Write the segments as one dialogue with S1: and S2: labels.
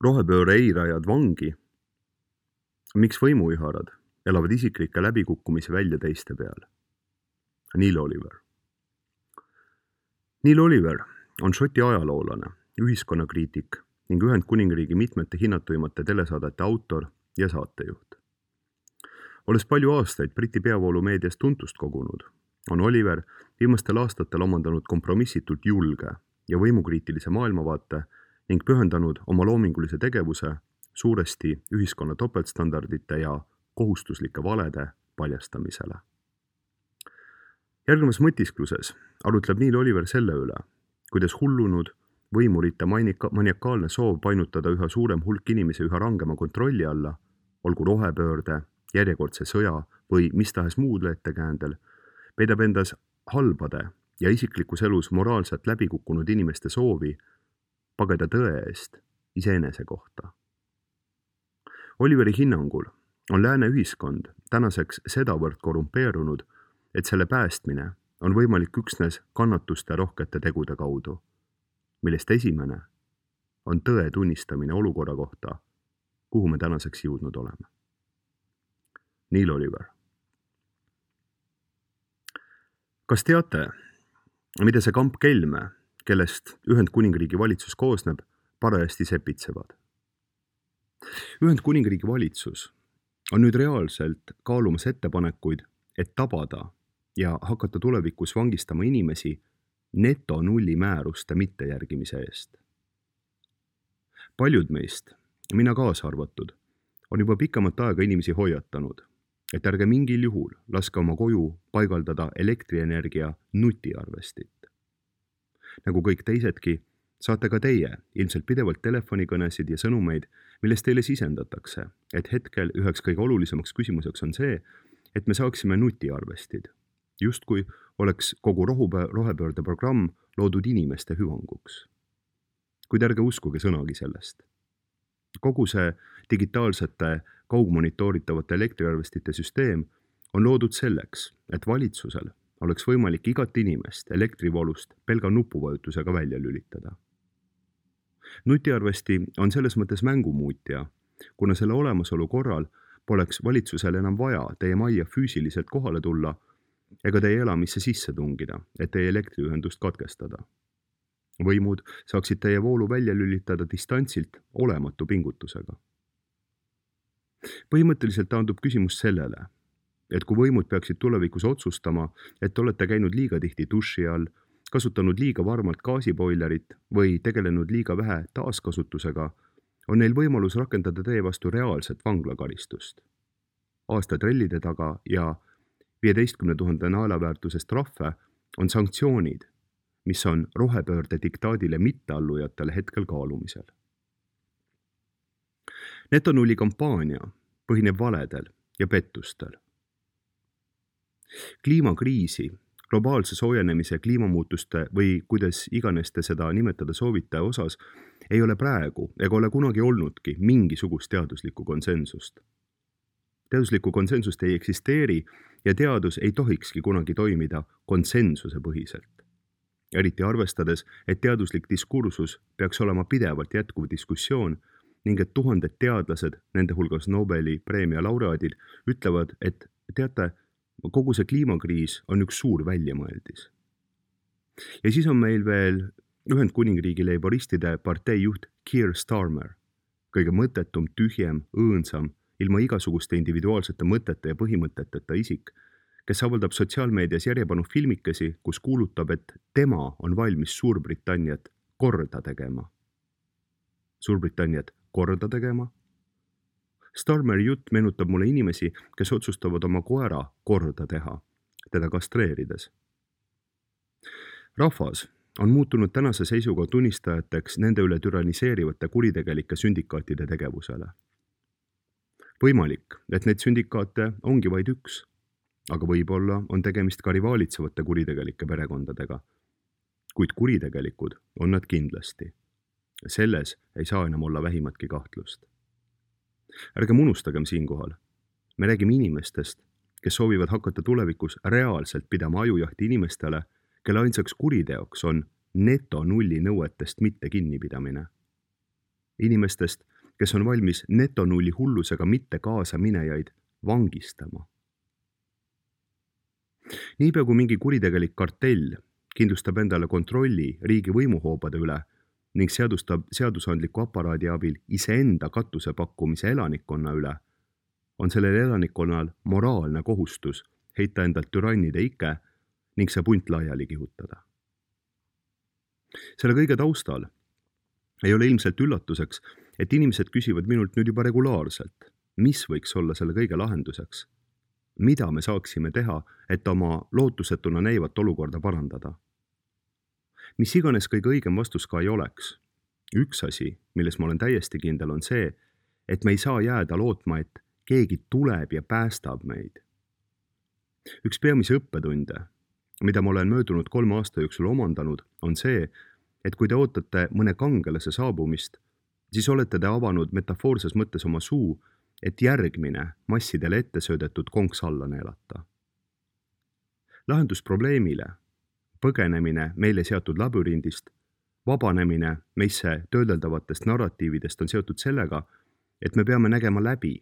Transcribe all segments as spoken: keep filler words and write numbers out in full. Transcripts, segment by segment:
S1: Rohepööre eirajad vangi. Miks võimuiharad elavad isiklikke läbikukkumisi välja teiste peal? Neil Oliver. Neil Oliver on Šoti ajaloolane, ühiskonnakriitik ning Ühendkuningriigi mitmete hinnatuimate telesaadete autor ja saatejuht. Olles palju aastaid Briti peavoolumeedias tuntust kogunud, on Oliver viimastel aastatel omandanud kompromissitult julge ja võimukriitilise maailmavaate ning pühendanud oma loomingulise tegevuse suuresti ühiskonna topeltstandardite ja kohustuslike valede paljastamisele. Järgnevas mõtiskluses arutleb Neil Oliver selle üle, kuidas hullunud võimurite manika- maniakaalne soov painutada üha suurem hulk inimesi üha rangema kontrolli alla, olgu rohepöörde, järjekordse sõja või mis tahes muud ettekäändel, peidab endas halbade ja isiklikus elus moraalselt läbikukkunud inimeste soovi pageda tõe eest iseenese kohta. Oliveri hinnangul on lääne ühiskond tänaseks sedavõrd korrumpeerunud, et selle päästmine on võimalik üksnes kannatuste rohkete tegude kaudu, millest esimene on tõe tunnistamine olukorra kohta, kuhu me tänaseks jõudnud oleme. Neil Oliver. Kas teate, mida see kamp kelme, kellest Ühendkuningriigi valitsus koosneb, parajasti sepitsevad? Ühendkuningriigi valitsus on nüüd reaalselt kaalumas ettepanekuid, et tabada ja hakata tulevikus vangistama inimesi neto nulli määruste mittejärgimise eest. Paljud meist, mina kaasa arvatud, on juba pikemat aega inimesi hoiatanud, et ärge mingil juhul laske oma koju paigaldada elektrienergia nutiarvestit. Nagu kõik teisedki, saate ka teie ilmselt pidevalt telefonikõnesid ja sõnumeid, millest teile sisendatakse, et hetkel üheks kõige olulisemaks küsimuseks on see, et me saaksime nutiarvestid, justkui oleks kogu rohepöörde programm loodud inimeste hüvanguks. Kuid ärge uskuge sõnagi sellest. Kogu see digitaalsete kaugmonitooritavate elektriarvestite süsteem on loodud selleks, et valitsusel oleks võimalik igat inimest elektrivoolust pelga nupuvajutusega välja lülitada. Nutiarvesti on selles mõttes mängumuutja, kuna selle olemasolu korral poleks valitsusel enam vaja teie majja füüsiliselt kohale tulla ega teie elamisse sisse tungida, et teie elektriühendust katkestada. Võimud saaksid teie voolu välja lülitada distantsilt olematu pingutusega. Põhimõtteliselt taandub küsimus sellele, et kui võimud peaksid tulevikus otsustama, et olete käinud liiga tihti duši all, kasutanud liiga varmalt gaasiboilerit või tegelenud liiga vähe taaskasutusega, on neil võimalus rakendada teie vastu reaalset vanglakaristust. Aasta trellide taga ja viieteistkümne tuhande naelaväärtusest trahve on sanktsioonid, mis on rohepöörde diktaadile mitteallujatele hetkel kaalumisel. Netonulli kampaania põhineb valedel ja pettustel. Kliimakriisi, globaalse soojenemise, kliimamuutuste või kuidas iganes te seda nimetada soovite osas ei ole praegu ega ole kunagi olnudki mingisugust teaduslikku konsensust. Teaduslikku konsensust ei eksisteeri ja teadus ei tohikski kunagi toimida konsensuse põhiselt. Eriti arvestades, et teaduslik diskursus peaks olema pidevalt jätkuv diskussioon ning et tuhanded teadlased, nende hulgas Nobeli preemia laureaadid, ütlevad, et teate, kogu see kliimakriis on üks suur väljamõeldis. Ja siis on meil veel Ühendkuningriigi leiboristide partei juht Keir Starmer, kõige mõttetum, tühjem, õõnsam, ilma igasuguste individuaalsete mõtete ja põhimõteteta isik, kes avaldab sotsiaalmeedias järjepanu filmikesi, kus kuulutab, et tema on valmis Suurbritanniat korda tegema. Suurbritanniat korda tegema? Starmeri jutt meenutab mulle inimesi, kes otsustavad oma koera korda teha, teda kastreerides. Rahvas on muutunud tänase seisuga tunnistajateks nende üle türaniseerivate kuritegelike sündikaatide tegevusele. Võimalik, et need sündikaate ongi vaid üks, aga võib-olla on tegemist ka rivaalitsevate kuritegelike perekondadega. Kuid kuritegelikud on nad kindlasti. Selles ei saa enam olla vähimatki kahtlust. Ärgem unustagem siinkohal. Me räägime inimestest, kes soovivad hakata tulevikus reaalselt pidama ajujahti inimestele, kelle ainsaks kuriteoks on neto nulli nõuetest mitte kinnipidamine. Inimestest, kes on valmis netonulli hullusega mitte kaasa minejaid vangistama. Niipea kui mingi kuritegelik kartell kindlustab endale kontrolli riigi võimuhoobade üle ning seadustab seadusandliku aparaadi abil iseenda katuse pakkumise elanikkonna üle, on sellel elanikkonnal moraalne kohustus heita endalt türannide ike ning see punt laiali kihutada. Selle kõige taustal ei ole ilmselt üllatuseks, et inimesed küsivad minult nüüd juba regulaarselt, mis võiks olla selle kõige lahenduseks, mida me saaksime teha, et oma lootusetuna näivat olukorda parandada. Mis iganes kõige õigem vastus ka ei oleks. Üks asi, milles ma olen täiesti kindel, on see, et me ei saa jääda lootma, et keegi tuleb ja päästab meid. Üks peamise õppetunde, mida ma olen möödunud kolme aasta jooksul omandanud, on see, et kui te ootate mõne kangelase saabumist, siis olete te avanud metafoorses mõttes oma suu, et järgmine massidele ette söödetud konks alla neelata. Lahendus probleemile, põgenemine meile seatud labürindist, vabanemine meisse töödeldavatest narratiividest on seotud sellega, et me peame nägema läbi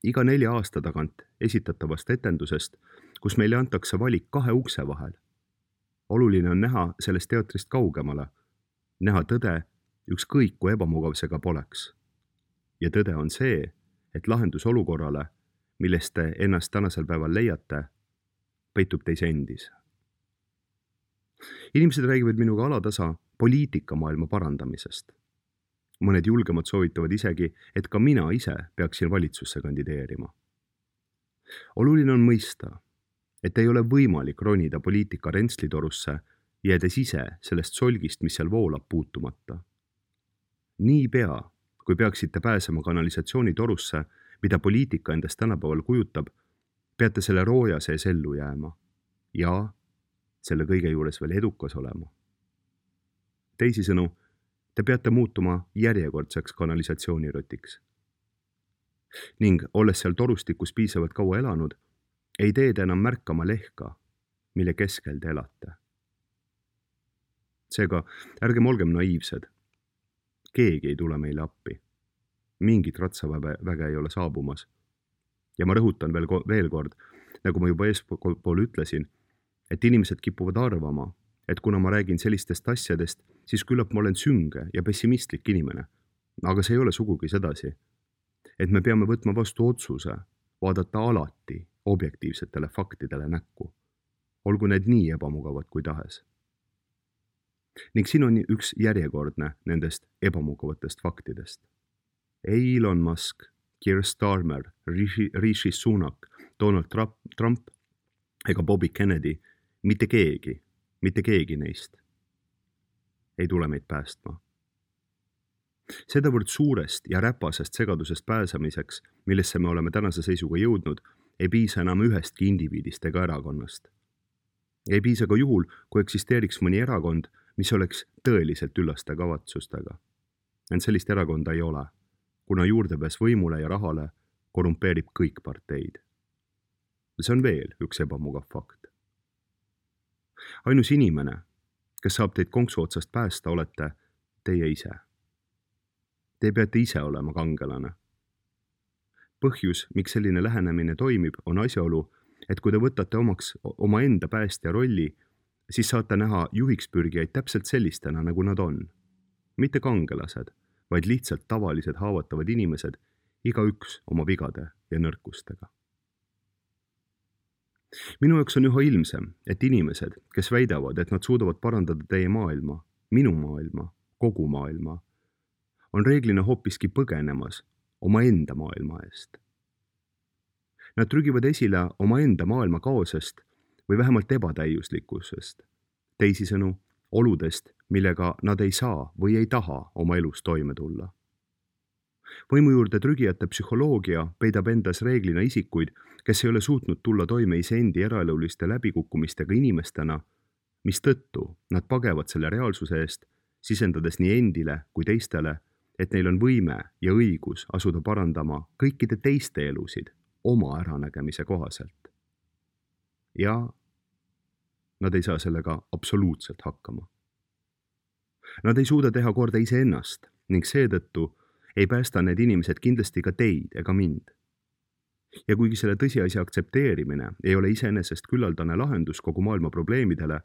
S1: iga nelja aasta tagant esitatavast etendusest, kus meile antakse valik kahe ukse vahel. Oluline on näha sellest teatrist kaugemale, näha tõde ükskõik kui ebamugav see ka poleks. Ja tõde on see, et lahendus olukorrale, millest te ennast tänasel päeval leiate, peitub teis endis. Inimesed räägivad minuga alatasa poliitikamaailma parandamisest. Mõned julgemad soovitavad isegi, et ka mina ise peaksin valitsusse kandideerima. Oluline on mõista, et ei ole võimalik ronida poliitika rentslitorusse, jäädes ise sellest solgist, mis seal voolab, puutumata. Nii pea, kui peaksite pääsema kanalisatsioonitorusse, mida poliitika endast tänapäeval kujutab, peate selle rooja sees ellu jääma ja selle kõige juures veel edukas olema. Teisisõnu, te peate muutuma järjekordseks kanalisatsioonirotiks. Ning olles seal torustikus piisavalt kaua elanud, ei tee te enam märkama lehka, mille keskel te elate. Seega, ärgem olgem naiivsed. Keegi ei tule meile appi. Mingit ratsaväge ei ole saabumas. Ja ma rõhutan veel, veel kord, nagu ma juba eespool ütlesin, et inimesed kipuvad arvama, et kuna ma räägin sellistest asjadest, siis küllap ma olen sünge ja pessimistlik inimene. Aga see ei ole sugugi sedasi, et me peame võtma vastu otsuse, vaadata alati objektiivsetele faktidele näkku, olgu need nii ebamugavad kui tahes. Ning siin on üks järjekordne nendest ebamugavatest faktidest. Ei Elon Musk, Keir Starmer, Rishi, Rishi Sunak, Donald Trump, Trump ega Bobby Kennedy, mitte keegi, mitte keegi neist ei tule meid päästma. Sedavõrd suurest ja räpasest segadusest pääsemiseks, millesse me oleme tänase seisuga jõudnud, ei piisa enam ühestki indiviidist ega erakonnast. Ei piisa ka juhul, kui eksisteeriks mõni erakond, mis oleks tõeliselt üllaste kavatsustega. Ent sellist erakonda ei ole, kuna juurdepääs võimule ja rahale korrumpeerib kõik parteid. See on veel üks ebamugav fakt. Ainus inimene, kes saab teid konksu otsast päästa, olete teie ise. Te peate ise olema kangelane. Põhjus, miks selline lähenemine toimib, on asjaolu, et kui te võtate omaks oma enda päästja rolli, siis saate näha juhiks pürgijaid täpselt sellistena, nagu nad on. Mitte kangelased, vaid lihtsalt tavalised haavatavad inimesed, igaüks oma vigade ja nõrkustega. Minu jaoks on üha ilmsem, et inimesed, kes väidavad, et nad suudavad parandada teie maailma, minu maailma, kogu maailma, on reeglina hoopiski põgenemas oma enda maailma eest. Nad trügivad esile oma enda maailma kaosest või vähemalt ebatäiuslikkusest, teisisõnu oludest, millega nad ei saa või ei taha oma elus toime tulla. Võimu juurde trügijate psühholoogia peidab endas reeglina isikuid, kes ei ole suutnud tulla toime iseendi eraeluliste läbikukkumistega inimestena, mis tõttu nad pagevad selle reaalsuse eest, sisendades nii endile kui teistele, et neil on võime ja õigus asuda parandama kõikide teiste elusid oma äranägemise kohaselt. Ja nad ei saa sellega absoluutselt hakkama. Nad ei suuda teha korda iseennast ning seetõttu ei päästa need inimesed kindlasti ka teid ega mind. Ja kuigi selle tõsiasja aktsepteerimine ei ole iseenesest küllaldane lahendus kogu maailma probleemidele,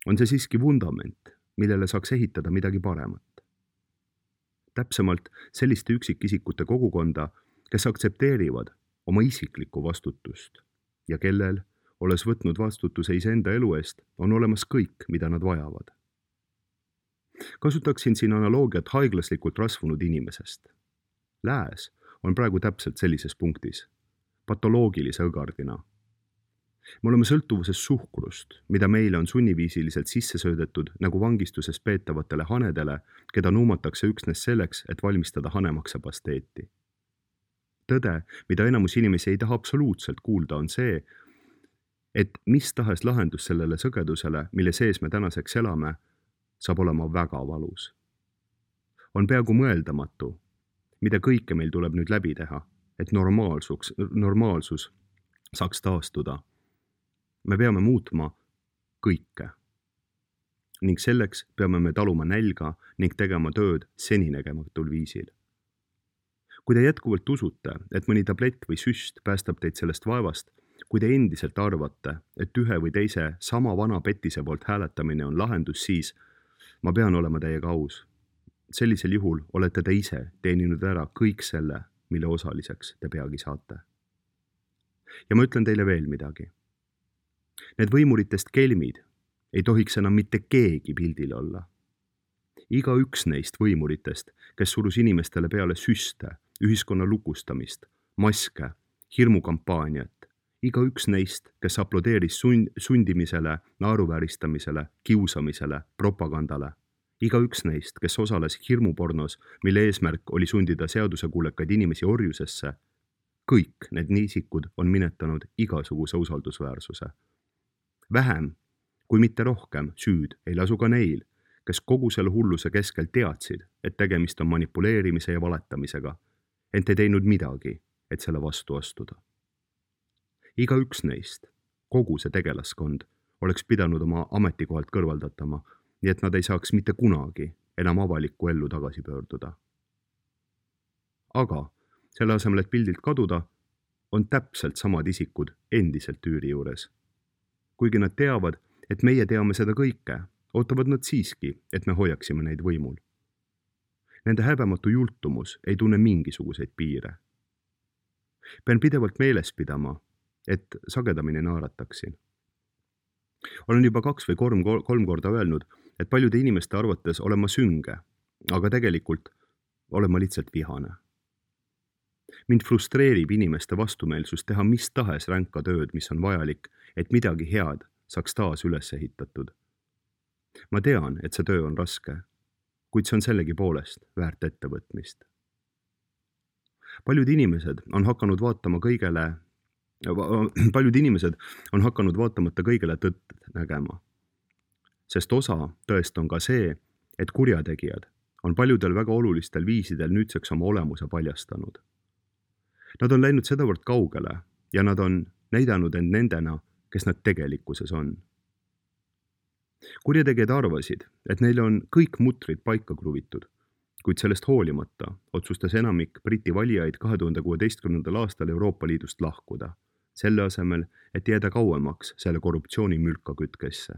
S1: on see siiski vundament, millele saaks ehitada midagi paremat. Täpsemalt selliste üksikisikute kogukonda, kes aktsepteerivad oma isiklikku vastutust ja kellel, olles võtnud vastutuse iseenda elu eest, on olemas kõik, mida nad vajavad. Kasutaksin siin analoogiat haiglaslikult rasvunud inimesest. Lääs on praegu täpselt sellises punktis, patoloogilise õgardina. Me oleme sõltuvuses suhkrust, mida meile on sunniviisiliselt sisse söödetud nagu vangistuses peetavatele hanedele, keda nuumatakse üksnes selleks, et valmistada hanemaksapasteeti. Tõde, mida enamus inimesi ei taha absoluutselt kuulda, on see, et mis tahes lahendus sellele sõgedusele, mille sees me tänaseks elame, saab olema väga valus. On peaaegu mõeldamatu, mida kõike meil tuleb nüüd läbi teha, et normaalsus, normaalsus saaks taastuda. Me peame muutma kõike. Ning selleks peame me taluma nälga ning tegema tööd seninägematul viisil. Kui te jätkuvalt usute, et mõni tablett või süst päästab teid sellest vaevast, kui te endiselt arvate, et ühe või teise sama vana petise poolt hääletamine on lahendus, siis ma pean olema teiega aus. Sellisel juhul olete te ise teeninud ära kõik selle, mille osaliseks te peagi saate. Ja ma ütlen teile veel midagi. Need võimuritest kelmid ei tohiks enam mitte keegi pildil olla. Iga üks neist võimuritest, kes surus inimestele peale süste, ühiskonna lukustamist, maske, hirmukampaaniat, iga üks neist, kes aplodeeris sund, sundimisele, naeruvääristamisele, kiusamisele, propagandale, iga üks neist, kes osales hirmupornos, mille eesmärk oli sundida seadusekuulekaid inimesi orjusesse, kõik need niisikud on minetanud igasuguse usaldusväärsuse. Vähem, kui mitte rohkem, süüd ei lasu ka neil, kes kogu selle hulluse keskel teadsid, et tegemist on manipuleerimise ja valetamisega, ent ei teinud midagi, et selle vastu astuda. Iga üks neist, kogu see tegelaskond, oleks pidanud oma ametikohalt kõrvaldatama, nii et nad ei saaks mitte kunagi enam avalikku ellu tagasi pöörduda. Aga selle asemel, et pildilt kaduda, on täpselt samad isikud endiselt üüri juures. Kuigi nad teavad, et meie teame seda kõike, ootavad nad siiski, et me hoiaksime neid võimul. Nende häbematu jultumus ei tunne mingisuguseid piire. Pean pidevalt meeles pidama, et sagedamini naerataksin. Olen juba kaks või kolm, kolm korda öelnud, et paljude inimeste arvates olen ma sünge, aga tegelikult olen ma lihtsalt vihane. Mind frustreerib inimeste vastumeelsus teha mis tahes ränka tööd, mis on vajalik, et midagi head saaks taas üles ehitatud. Ma tean, et see töö on raske, kuid see on sellegi poolest väärt ettevõtmist. Paljud inimesed on hakanud vaatama kõigele, paljud inimesed on hakanud vaatamata kõigele tõtt nägema. Sest osa tõest on ka see, et kurjategijad on paljudel väga olulistel viisidel nüüdseks oma olemuse paljastanud. Nad on läinud sedavõrd kaugele ja nad on näidanud end nendena, kes nad tegelikkuses on. Kurjategijad arvasid, et neil on kõik mutrid paika kruvitud, kuid sellest hoolimata otsustas enamik Briti valijaid kahe tuhande kuueteistkümnendal aastal Euroopa Liidust lahkuda, selle asemel, et jääda kauemaks selle korruptsiooni mülkakütkesse.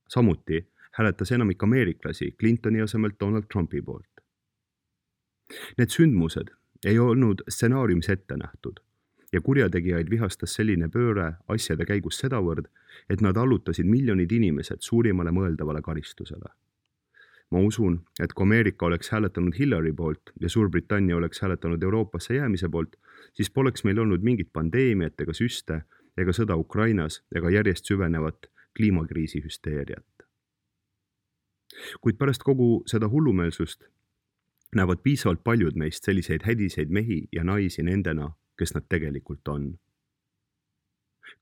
S1: Samuti hääletas enamik ameeriklasi Clintoni asemel Donald Trumpi poolt. Need sündmused ei olnud stsenaariumis ette nähtud ja kurjategijaid vihastas selline pööre asjade käigus sedavõrd, et nad allutasid miljonid inimesed suurimale mõeldavale karistusele. Ma usun, et kui Ameerika oleks hääletanud Hillary poolt ja Suurbritannia oleks hääletanud Euroopasse jäämise poolt, siis poleks meil olnud mingit pandeemiat ega süste ega sõda Ukrainas ega järjest süvenevat kliimakriisi hüsteeriat. Kuid pärast kogu seda hullumeelsust näevad piisavalt paljud meist selliseid hädiseid mehi ja naisi nendena, kes nad tegelikult on.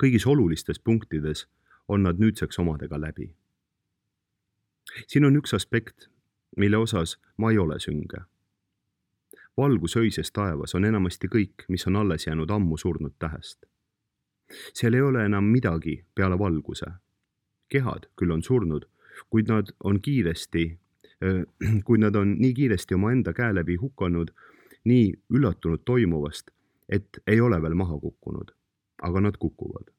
S1: Kõigis olulistes punktides on nad nüüdseks omadega läbi. Siin on üks aspekt, mille osas ma ei ole sünge. Valgus öises taevas on enamasti kõik, mis on alles jäänud ammu surnud tähest. Seal ei ole enam midagi peale valguse. Kehad küll on surnud, kuid nad on kiiresti kui nad on nii kiiresti oma enda käe läbi hukanud, nii üllatunud toimuvast, et ei ole veel maha kukkunud, aga nad kukuvad.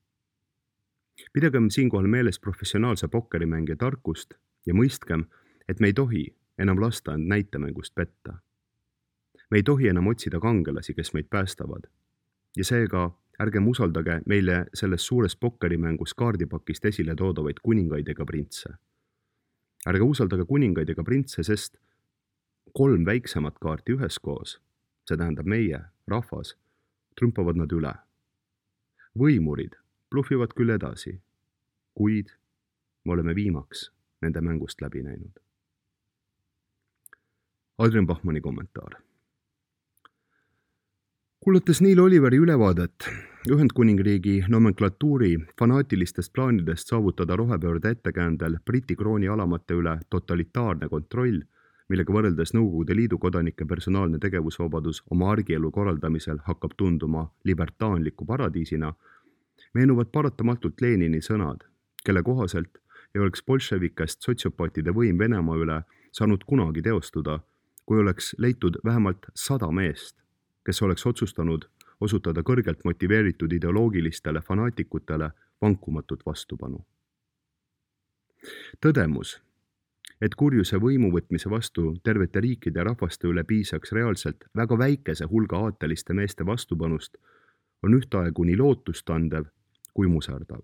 S1: Pidagem siinkohal meeles professionaalse pokkerimängija tarkust ja mõistkem, et me ei tohi enam lasta end näitemängust petta. Me ei tohi enam otsida kangelasi, kes meid päästavad. Ja seega ärgem usaldage meile selles suures pokkerimängus kaardipakist esile toodavaid kuningaid ega printse. Ärge usaldage kuningaid ega printse, sest kolm väiksemat kaarti üheskoos, see tähendab meie, rahvas, trümpavad nad üle. Võimurid blufivad küll edasi, kuid me oleme viimaks nende mängust läbi näinud. Adrian Bachmanni kommentaar. Kuulates Neil Oliveri ülevaadet Ühendkuningriigi nomenklatuuri fanaatilistest plaanidest saavutada rohepöörde ettekäändel Briti krooni alamate üle totalitaarne kontroll, millega võrreldes Nõukogude Liidu kodanike personaalne tegevusvabadus oma argielu korraldamisel hakkab tunduma libertaanliku paradiisina, meenuvad paratamatult Lenini sõnad, kelle kohaselt ei oleks bolševikest sotsiopaatide võim Venemaa üle saanud kunagi teostuda, kui oleks leitud vähemalt sada meest, kes oleks otsustanud osutada kõrgelt motiveeritud ideoloogilistele fanaatikutele vankumatut vastupanu. Tõdemus, et kurjuse võimuvõtmise vastu tervete riikide ja rahvaste üle piisaks reaalselt väga väikese hulga aateliste meeste vastupanust, on ühtaegu nii lootustandev kui muserdav.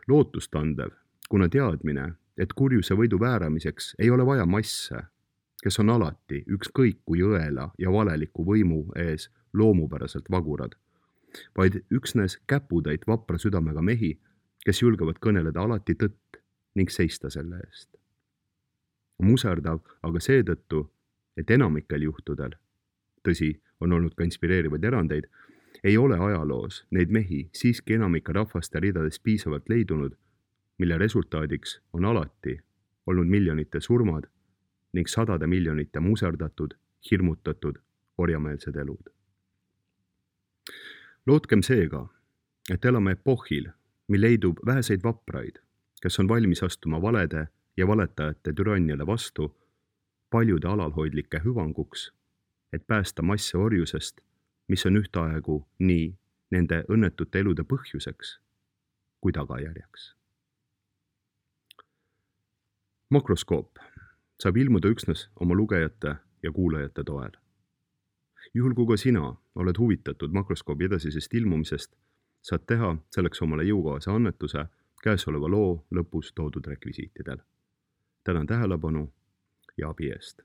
S1: Lootustandev, kuna teadmine, et kurjuse võidu vääramiseks ei ole vaja masse, kes on alati ükskõik kui õela ja valeliku võimu ees loomupäraselt vagurad, vaid üksnes käputäit vapra südamega mehi, kes julgevad kõneleda alati tõtt ning seista selle eest. Muserdav aga seetõttu, et enamikel juhtudel, tõsi, on olnud ka inspireerivaid erandeid, ei ole ajaloos neid mehi siiski enamike rahvaste ridades piisavalt leidunud, mille resultaadiks on alati olnud miljonite surmad ning sadade miljonite muserdatud, hirmutatud, orjameelsed elud. Lootkem seega, et elame epohhil, mil leidub väheseid vapraid, kes on valmis astuma valede ja valetajate türanniale vastu paljude alalhoidlike hüvanguks, et päästa masse orjusest, mis on ühtaegu nii nende õnnetute elude põhjuseks kui tagajärjeks. Makroskoop saab ilmuda üksnes oma lugejate ja kuulajate toel. Juhul kui ka sina oled huvitatud makroskoobi edasisest ilmumisest, saad teha selleks omale jõukohase annetuse käesoleva loo lõpus toodud rekvisiitidel. Tänan tähelepanu ja abi eest.